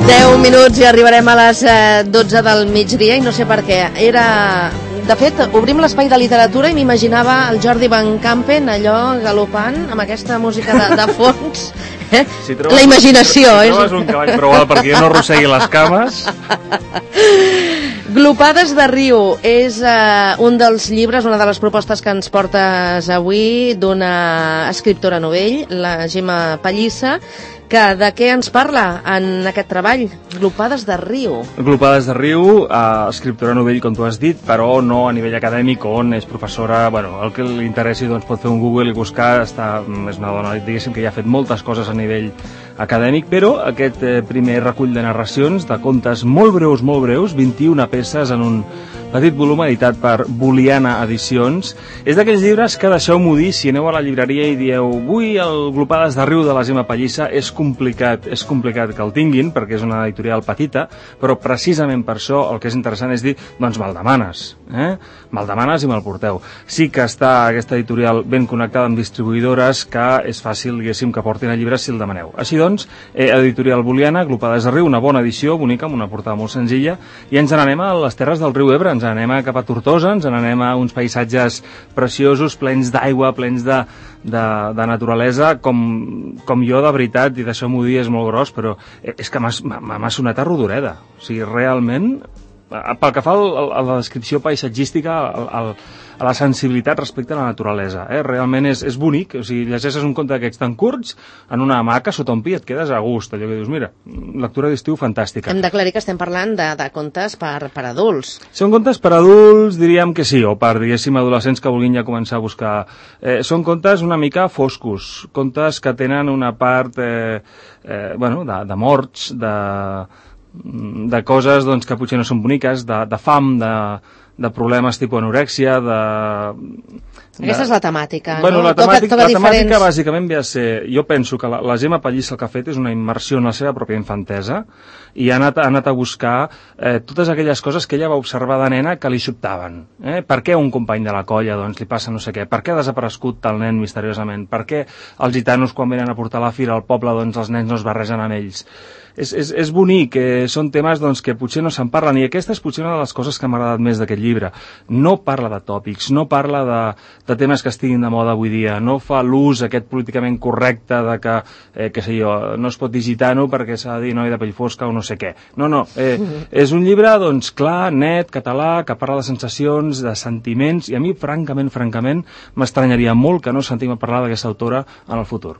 10 minuts i arribarem a les 12 del migdia i no sé per què. De fet, obrim l'espai de literatura i m'imaginava el Jordi Van Campen allò galopant amb aquesta música de fons. La imaginació. Si trobes un cavall prou alt perquè jo no arrossegui les cames... Glopades de riu és un dels llibres, una de les propostes que ens portes avui d'una escriptora novell, la Gemma Pallissa, que de què ens parla en aquest treball? Glopades de riu. Glopades de riu, escriptora novell, com tu has dit, però no a nivell acadèmic, on és professora, bueno, el que li interessi doncs pot fer un Google i buscar, és una dona, diguéssim, que ja ha fet moltes coses a nivell acadèmic, però aquest primer recull de narracions, de contes molt breus, 21 peces en un petit volum editat per Boliana Edicions, és d'aquells llibres que, deixeu-m'ho dir, si aneu a la llibreria i dieu vull el Glopades de riu de la Gemma Pallissa, és complicat que el tinguin, perquè és una editorial petita, però precisament per això el que és interessant és dir, doncs me'l demanes, me'l demanes i me'l porteu. Sí que està aquesta editorial ben connectada amb distribuïdores, que és fàcil, diguéssim, que portin el llibre si el demaneu. Així doncs, editorial Boliana, Glopades de riu, una bona edició, bonica, amb una portada molt senzilla, i ens n'anem a les terres del riu Ebre, ens n'anem cap a Tortosa, ens n'anem a uns paisatges preciosos, plens d'aigua, plens de naturalesa, com jo, de veritat, i deixeu-m'ho dir, és molt gros, però és que m'ha sonat a Rodoreda. O sigui, realment, pel que fa a la descripció paisatgística, a la sensibilitat respecte a la naturalesa, realment és bonic. O sigui, llegeixes un conte d'aquests tan curts en una hamaca sota un pi, et quedes a gust, allò que dius, mira, lectura d'estiu fantàstica. Hem d'aclarir que estem parlant de contes per adults. Són contes per adults, diríem que sí, o per, diguéssim, adolescents que vulguin ja començar a buscar. Són contes una mica foscos, contes que tenen una part de morts, de coses doncs, que potser no són boniques, de fam, de problemes tipus anorèxia, Aquesta és la temàtica, bueno, no? La temàtica bàsicament ve a ser... Jo penso que la Gemma Pallissa el que ha fet és una immersió en la seva pròpia infantesa i ha anat a buscar totes aquelles coses que ella va observar de nena que li sobtaven. Per què un company de la colla doncs, li passa no sé què? Per què ha desaparegut tal nen misteriosament? Per què els gitanos quan venen a portar la fira al poble doncs, els nens no es barregen amb ells? És bonic, són temes doncs, que potser no se'n parlen, i aquesta és potser una de les coses que m'ha agradat més d'aquest llibre. No parla de tòpics, no parla de temes que estiguin de moda avui dia, no fa l'ús aquest políticament correcte de que sé jo, no es pot dir gitano perquè s'ha de dir noi de pell fosca o no sé què. No, és un llibre doncs, clar, net, català, que parla de sensacions, de sentiments, i a mi, francament, m'estranyaria molt que no sentim a parlar d'aquesta autora en el futur.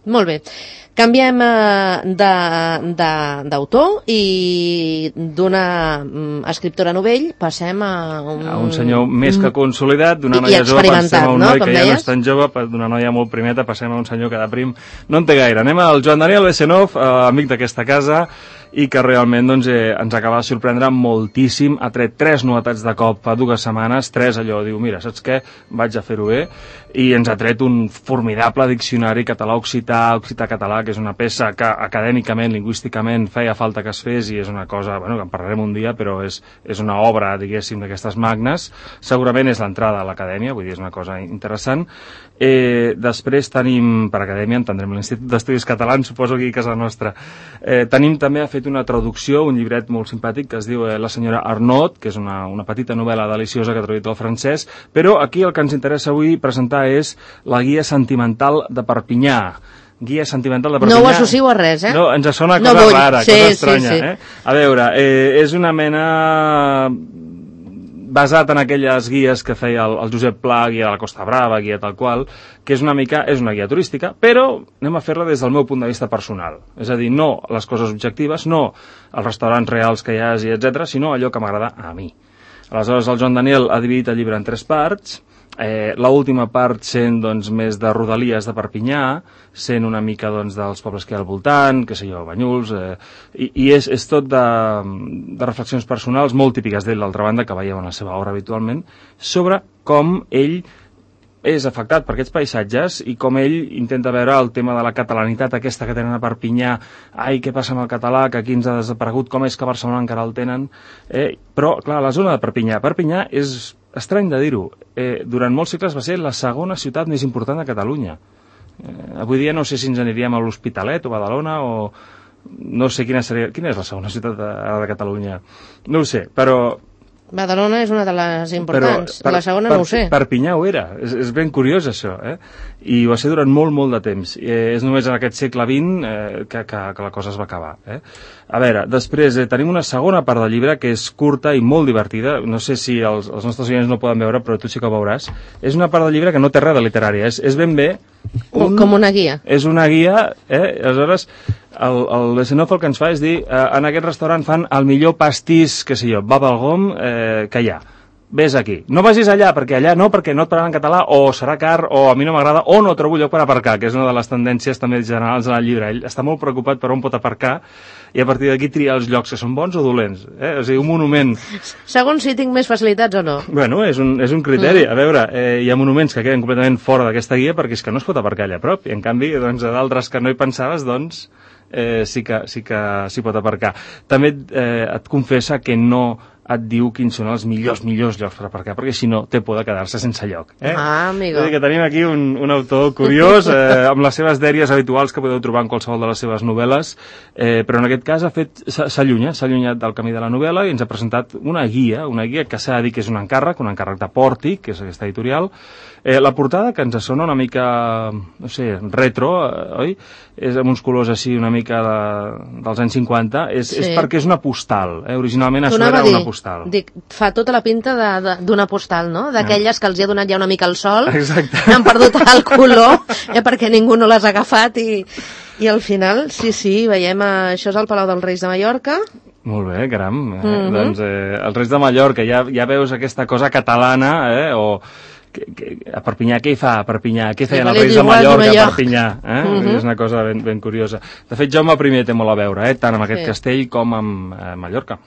Molt bé. Canviem d'autor i d'una escriptora novell passem a un senyor més que consolidat, d'una noia jove passem a un noi que ja no és tan jove, d'una noia molt primeta passem a un senyor que de prim no en té gaire. Anem al Joan Daniel Besenov, amic d'aquesta casa, i que realment doncs, ens acaba de sorprendre moltíssim. Ha tret 3 novetats de cop fa 2 setmanes, 3 allò, diu, mira, saps què? Vaig a fer-ho bé, i ens ha tret un formidable diccionari català-occità-català, que és una peça que acadèmicament, lingüísticament, feia falta que es fes, i és una cosa, bueno, que en parlarem un dia, però és una obra, diguéssim, d'aquestes magnes. Segurament és l'entrada a l'acadèmia, vull dir, és una cosa interessant. Després tenim, per acadèmia, entendrem l'Institut d'Estudis Catalans, suposo aquí a casa nostra. Tenim també, ha fet una traducció, un llibret molt simpàtic que es diu La senyora Arnaud, que és una petita novel·la deliciosa que ha traduït al francès, però aquí el que ens interessa avui presentar és la guia sentimental de Perpinyà. Guia sentimental de Perpinyà. No ho associo a res, No, ens sona cosa rara, cosa estranya. A veure, és una mena... basat en aquelles guies que feia el Josep Pla, guia de la Costa Brava, guia tal qual, que és una guia turística, però anem a fer-la des del meu punt de vista personal. És a dir, no les coses objectives, no els restaurants reals que hi hagi, etc., sinó allò que m'agrada a mi. Aleshores, el Joan Daniel ha dividit el llibre en 3 parts, l'última part sent doncs, més de rodalies de Perpinyà, sent una mica doncs, dels pobles que hi ha al voltant, que sé jo, Banyuls, i és tot de reflexions personals molt típiques d'ell, d'altra banda, que veieu en la seva obra habitualment, sobre com ell és afectat per aquests paisatges i com ell intenta veure el tema de la catalanitat aquesta que tenen a Perpinyà. Ai, què passa amb el català, que aquí ens ha desaparegut, com és que a Barcelona encara el tenen? Però, clar, la zona de Perpinyà és estrany de dir-ho, durant molts segles va ser la segona ciutat més important de Catalunya. Avui dia no sé si ens aniríem a l'Hospitalet o Badalona o no sé quina és la segona ciutat de Catalunya, no ho sé, però... Badalona és una de les importants, la segona no ho sé. Perpinyà ho era, és ben curiós això, i ho va ser durant molt, molt de temps. És només en aquest segle XX que la cosa es va acabar. A veure, després tenim una segona part del llibre que és curta i molt divertida, no sé si els nostres oients no poden veure, però tu sí que ho veuràs. És una part del llibre que no té res de literària, és ben bé... Com una guia. És una guia, aleshores... El Besenov el que ens fa és dir en aquest restaurant fan el millor pastís, que sé jo, bubblegum que hi ha. Ves aquí. No vagis allà, perquè allà no, perquè no et pararan en català, o serà car, o a mi no m'agrada, o no trobo lloc per aparcar, que és una de les tendències també generals en el llibre. Ell està molt preocupat per on pot aparcar i a partir d'aquí triar els llocs que són bons o dolents. O sigui, un monument... Segons si tinc més facilitats o no. Bueno, és un criteri. A veure, hi ha monuments que queden completament fora d'aquesta guia perquè és que no es pot aparcar allà a prop, i en canvi, doncs, a d'altres que no hi pensaves, doncs... sí que s'hi pot aparcar. També et confessa que no et diu quins són els millors llocs per aparcar, perquè si no té por de quedar-se sense lloc. Amigo. Vull dir que tenim aquí un autor curiós, amb les seves dèries habituals que podeu trobar en qualsevol de les seves novel·les, però en aquest cas s'ha allunyat del camí de la novel·la i ens ha presentat una guia que s'ha de dir que és un encàrrec de Pòrtic, que és aquesta editorial. La portada, que ens sona una mica, no sé, retro, oi? És amb uns colors així una mica dels anys 50, és perquè és una postal, originalment això era una postal. Dic, fa tota la pinta d'una postal, no? D'aquelles que els hi ha donat ja una mica el sol, exacte. Han perdut el color, perquè ningú no les ha agafat i al final, sí, veiem, això és el Palau dels Reis de Mallorca. Molt bé, caram. Doncs els Reis de Mallorca, ja veus aquesta cosa catalana, o... a Perpinyà, què hi fa a Perpinyà? Què feien els Reis de Mallorca a Perpinyà? És una cosa ben curiosa. De fet, Jaume I té molt a veure, tant amb aquest castell com amb Mallorca.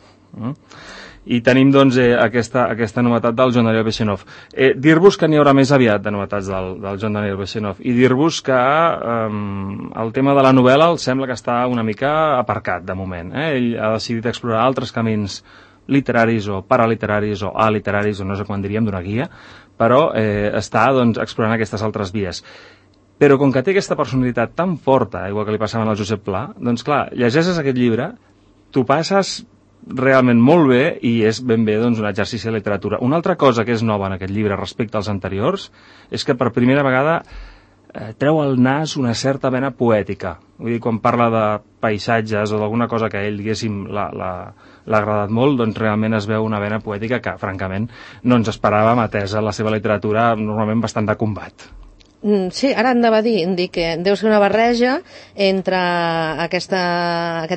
I tenim, doncs, aquesta novetat del Joan Daniel Bechenov. Dir-vos que n'hi haurà més aviat de novetats del Joan Daniel Bechenov i dir-vos que el tema de la novel·la el sembla que està una mica aparcat, de moment. Ell ha decidit explorar altres camins literaris o paraliteraris o aliteraris, o no sé quan diríem, d'una guia, però està explorant aquestes altres vies. Però com que té aquesta personalitat tan forta, igual que li passava al Josep Pla, doncs clar, llegeixes aquest llibre, t'ho passes realment molt bé i és ben bé un exercici de literatura. Una altra cosa que és nova en aquest llibre respecte als anteriors és que per primera vegada treu al nas una certa vena poètica. Vull dir, quan parla de paisatges o d'alguna cosa que a ell, diguéssim, l'ha agradat molt, doncs realment es veu una vena poètica que, francament, no ens esperàvem, atesa la seva literatura normalment bastant de combat. Sí, ara anava a dir que deu ser una barreja entre aquest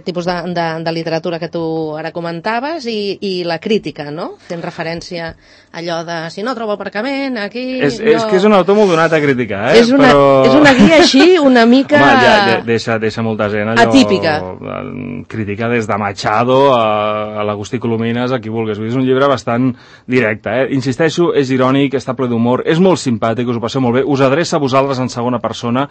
tipus de literatura que tu ara comentaves i la crítica, no? Fent referència a allò de si no trobo aparcament, aquí... És que és un autor molt donat a criticar, És una guia així una mica... Home, deixa molta gent allò... Atípica. Critica des de Machado a l'Agustí Colomines, a qui vulguis. És un llibre bastant directe, Insisteixo, és irònic, està ple d'humor, és molt simpàtic, us ho passeu molt bé, us adreça a vosaltres en segona persona,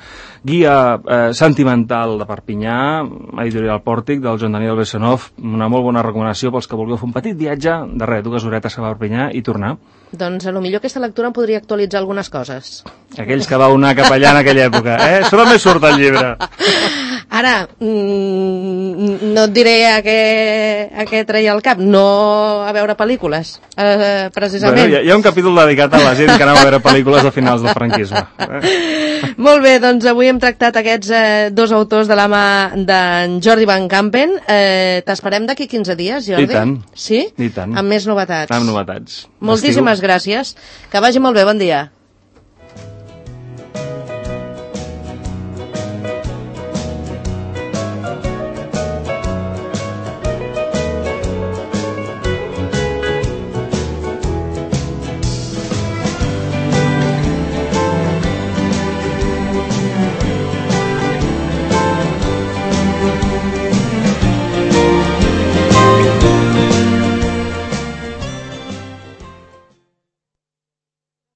guia sentimental de Perpinyà, editorial Pòrtic, del Joan Daniel Bechenov, una molt bona recomanació pels que vulgueu fer un petit viatge de 2 horetes a Perpinyà i tornar. Doncs potser aquesta lectura em podria actualitzar algunes coses. Aquells que vau anar cap allà en aquella època, Això també surt al llibre. Ara, no et diré a què treia el cap, no a veure pel·lícules, precisament. Bueno, hi ha un capítol dedicat a la gent que anava a veure pel·lícules a finals del franquisme. Molt bé, doncs avui hem tractat aquests dos autors de la mà d'en Jordi Van Kampen. T'esperem d'aquí 15 dies, Jordi? I tant. Sí? I tant. Amb més novetats. Amb novetats. Moltíssimes gràcies. Que vagi molt bé, bon dia.